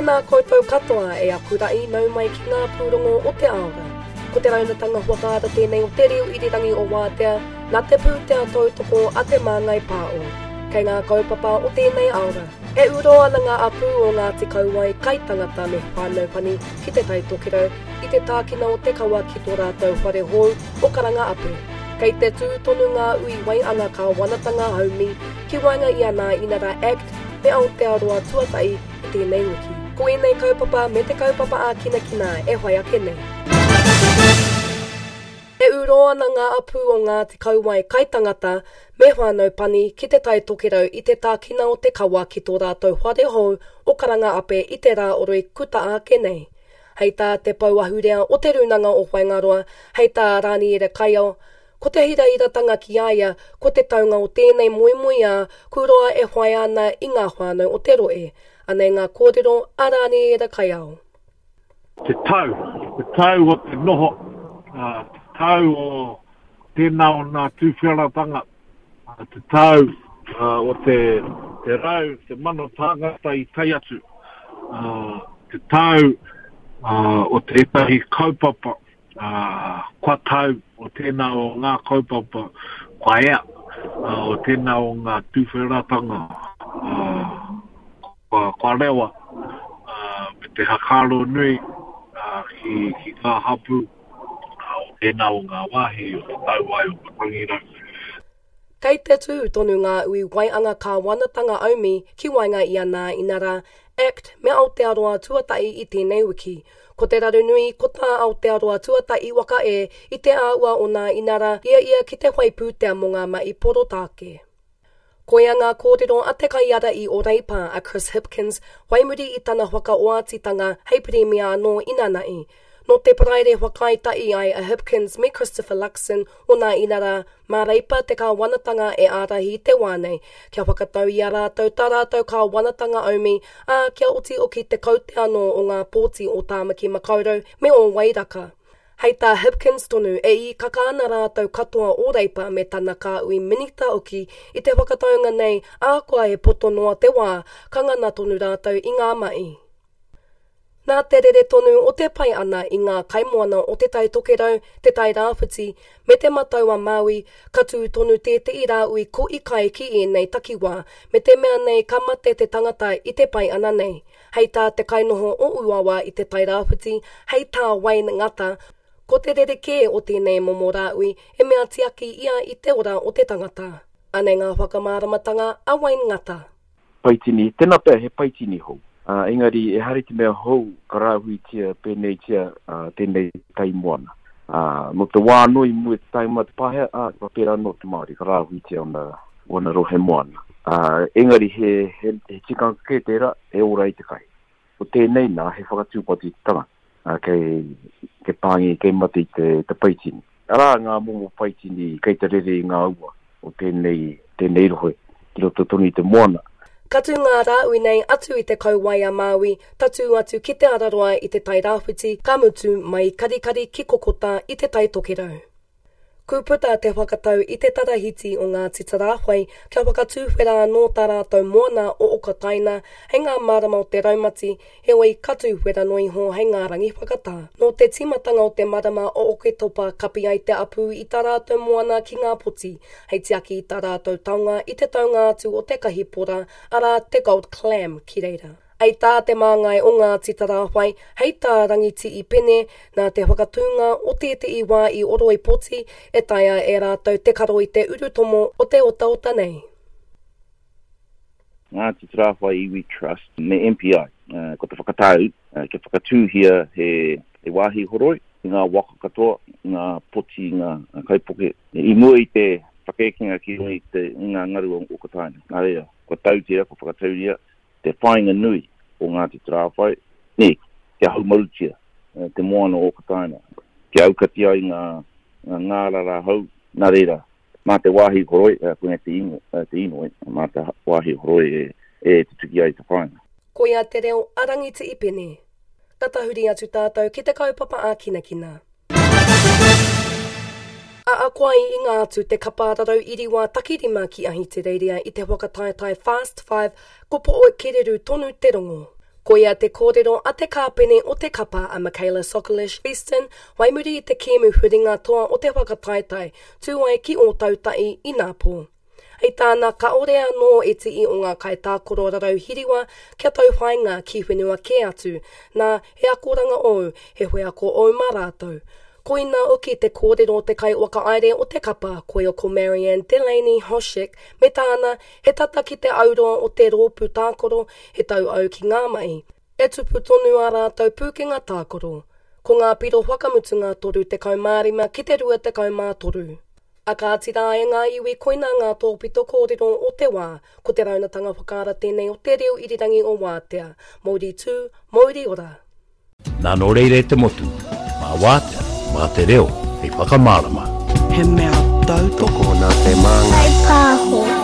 Tēnā koutou katoa e aku ra'i nau mai ki ngā pūrongo o te aora. Ko te raunatanga whakaata tēnei o te reo irirangi o Wātea nā te pūtea tautoko a Te Māngai Pāo. Kei ngā kaupapa o tēnei aora. E uro ana ngā apū o Ngāti Kauae, Kaitangata me Whānau Pani ki Te Tai Tokerau i te tākina o te kawa ki tō rātou whare hou o Karanga Ape. Kei te tū tonu ngā ui waianga kāwanatanga haumi ki waenga i a Nā Inara Act me Aotearoa Tuatahi i tēnei wiki. Ko ēnei kaupapa me te kaupapa ākinakina e whai ake nei. E ūrō ana ngā apū o Ngāti Kauae Kaitangata me Whānau Pani ki Te Tai Tokerau i te tākina o te kawa ki tō rātou whare hou o Karanga Ape i te rā oroi kuta ake nei. Hei tā te pou ahurea o Te Rūnanga o Whaingaroa, hei tā Rāniera Kaiao, Ko te hirahiratanga ki a ia, ko te taunga o tēnei moemoeā ku roa e whaia ana i ngā whānau o te rohe. Anei ngā kōrero a Rāniera Kaiao. Te tau, te tau o te noho, te tau o tēnā o nā tūwheratanga, te tau o te rau, te tāngata i tae atu, te tau o tētahi kaupapa kua tau o tēnā o ngā kaupapa kua ea, o tēnā o ngā tūwheratanga kua rewa, me te hakaaro nui ki, ki ngā hapū o tēnā o ngā wāhi o te tauwai o Matangirau. Kei te tū tonu ngā ui waianga kāwanatanga aumi ki waenga i a Nā Inarā, Act, me Aotearoa Tuatahi i tēnei wiki. Ko te raru nui, ko tā Aotearoa Tuatahi waka e i te āhua o Nā Inarā i a ia ki te whai pūtea mō ngā mahi porotāke. Koia ngā kōrero a te kaiārahi o Reipa, a Chris Hipkins, whai muri i tana whakaoatitanga hei Pirimia anō inanahi. Nō te Paraire whakaae tahi ai a Hipkins me Christopher Luxon o Nā Inarā Mā Reipa te kāwanatanga e ārahi i te wā nei, kia whakatau i a rātou tā rātou kāwanatanga aumi, ā, kia oti oki te kaute anō o ngā pōti o Tāmaki Makaurau me ō Wairaka. Hei tā Hipkins tonu, e īkaka ana rātou katoa o Reipa me tana kāhui minita oki i te whakataunga nei, ahakoa he poto noa te wā, ka ngana tonu rātou i ngā mahi. Nā te rere tonu o te pae ana i ngā kaimoana o Te Tai Tokerau, Te Tai Rāwhiti, me Te Matau-a-Māui, ka tū tonu tētehi rāhui kohi kai ki ēnei takiwā, me te mea nei ka mate te tangata i te pae ana nei. Hei tā te kainoho o Uawa i Te Tai Rāwhiti, hei tā Wayne Ngata, ko te rerekē o tēnei momo rāhui he mea tiaki ia i te ora o te tangata. Anei ngā whakamāramatanga a Wayne Ngata. Paitini, tēnā pea he paitini hou. Ā, engari ehara i te mea hou ka rāhuitia pēneitia tēnei tai moana. Ā, nō te wā anō i mua i te taenga mai o te Pākehā, ā, ka pērā anō te Māori, ka rāhuitia ōna, ōna rohe moana. Ā, engari he, he, he tikanga kē tērā e ora ai te kai. Ko tēnei nā, he whakatūpato i te tangata, ā, kei, kei pāngi, kei mate i te, te paitini. Arā ngā momo paitini kei te rere i ngā ua o tēnei, tēnei rohe, ki roto tonu i te moana. Ka tū ngā rāhui nei atu i te kauae a Māui, tatū atu ki Te Araroa i Te Tai Rāwhiti, ka mutu mai i Karikari ki Kokota i Te Tai Tokerau. Ku puta te whakatau i te tarahiti o Ngāti Tarāwhai kia whakatūwhera anō tā rātou moana o Okataina hei ngā marama o te raumati, heoi ka tūwhera noa iho hei ngā rangi whakatā. Nō te tīmatanga o te marama o Oketopa kapi ai te apū i tā rātou moana ki ngā poti, hei tiaki i tā rātou taonga i te taunga atu o te kahipora, arā, te gold clam, ki reira. Hei tā te māngai o Ngāti Tarāwhai, hei tā Rangitii Pene, nā te whakatūnga o tētehi wā i Oroipoti, e taea e rātou te karo i te urutomo o te otaota nei. Ngāti Tarāwhai Iwi Trust me MPI, ko te whakatau kia whakatūhia he wāhi horoi i ngā waka katoa, ngā poti, ngā kaipuke, i mua i te whakaekenga ki runga i ngā ngaru o Okataina. Nā reira, kua tau tērā, kua whakatauria te whāinga nui o Ngāti Tarāwhai, nē, kia haumarutia te moana o Okataina, kia aukati ai ngā ngārara hou, nā reira, mā te wāhi horoi, koinei te ingoa, te inoi, mā te wāhi horoi e tutuki ai te whāinga. Koia te reo a Rangitiipene. Ka tahuri atu tātou ki te kaupapa ākinakina. A akoa i inga atu te kapa rarau iriwā takirima ki Ahitereiria i te whakataetae Fast Five, ko Pooe Kereru tonu te rongo. Koia te kōrero a te kāpene o te kapa a Michaela Sokolish Beeston whai muri i te kēmu huringa toa o te whakataetae tū ai ki Ōtautahi inapō. Hei tāna kāore anō e tii o ngā kaitākaro rarau hiriwa kia tauwhāinga ki whenua kē atu, nā, he akoranga ōu, he wheako ōu mā rātou. Koina hoki te kōrero te kaiwhakahaere o te kapa, koia ko Marianne Delaney Hoshek, me tāna, he tata ki te auroa o te rōpū tākaro, he tauau ki ngā mahi. E tupu tonu ā rātou pūkenga tākaro. Ko ngā piro whakamutunga 35 ki te 23. A kāti rā e ngā iwi koinā ngā tōpito kōrero o te wā, ko te raunatanga whakaara tēnei o te reo irirangi o Wātea. Mouri tū, mouri ora! Nā nō reira e te motu, mā Wātea, mā te reo hei whakamārama. He mea tautoko nā te māngai. Kaipāho.